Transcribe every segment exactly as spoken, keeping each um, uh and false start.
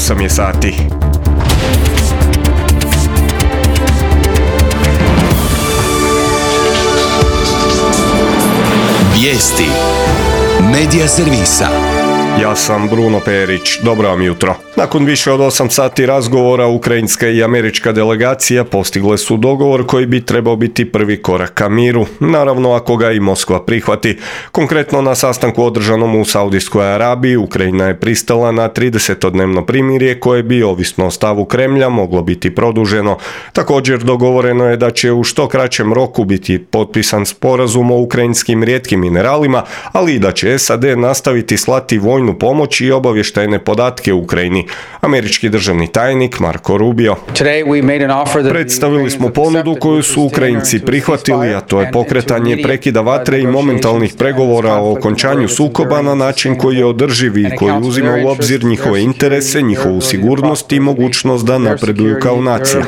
osam je sati. Vijesti Medija servisa. Ja sam Bruno Perić, dobro vam jutro. Nakon više od osam sati razgovora, ukrajinska i američka delegacija postigle su dogovor koji bi trebao biti prvi korak ka miru, naravno ako ga i Moskva prihvati. Konkretno na sastanku održanom u Saudijskoj Arabiji, Ukrajina je pristala na tridesetodnevno primirje koje bi, ovisno o stavu Kremlja, moglo biti produženo. Također dogovoreno je da će u što kraćem roku biti potpisan sporazum o ukrajinskim rijetkim mineralima, ali i da će S A D nastaviti slati vojnu pomoć i obavještajne podatke Ukrajini. Američki državni tajnik Marko Rubio. Predstavili smo ponudu koju su Ukrajinci prihvatili, a to je pokretanje prekida vatre i momentalnih pregovora o okončanju sukoba na način koji je održiv i koji uzima u obzir njihove interese, njihovu sigurnost i mogućnost da napreduju kao nacija.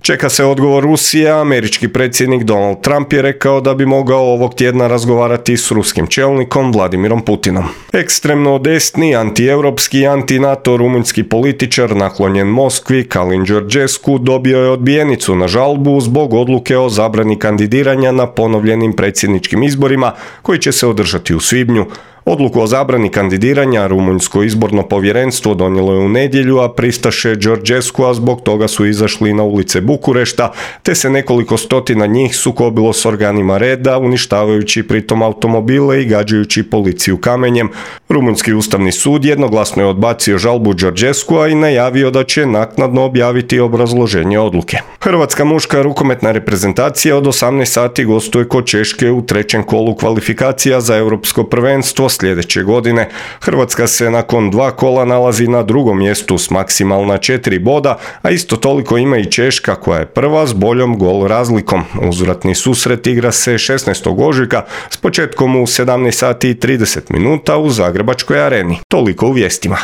Čeka se odgovor Rusije, a američki predsjednik Donald Trump je rekao da bi mogao ovog tjedna razgovarati s ruskim čelnikom Vladimirom Putinom. Ekstremno desni, antieuropski i anti-NATO rumunjski političar naklonjen Moskvi, Calin Georgescu, dobio je odbijenicu na žalbu zbog odluke o zabrani kandidiranja na ponovljenim predsjedničkim izborima koji će se održati u svibnju. Odluku o zabrani kandidiranja Rumunjsko izborno povjerenstvo donijelo je u nedjelju, a pristaše Georgescua zbog toga su izašli na ulice Bukurešta, te se nekoliko stotina njih sukobilo s organima reda, uništavajući pritom automobile i gađajući policiju kamenjem. Rumunjski ustavni sud jednoglasno je odbacio žalbu Georgescua i najavio da će naknadno objaviti obrazloženje odluke. Hrvatska muška rukometna reprezentacija od osamnaest sati gostuje kod Češke u trećem kolu kvalifikacija za europsko prvenstvo sljedeće godine. Hrvatska se nakon dva kola nalazi na drugom mjestu s maksimalna četiri boda, a isto toliko ima i Češka koja je prva s boljom gol razlikom. Uzvratni susret igra se šesnaestog ožujka s početkom u sedamnaest sati i trideset minuta u Zagrebačkoj areni. Toliko u vijestima.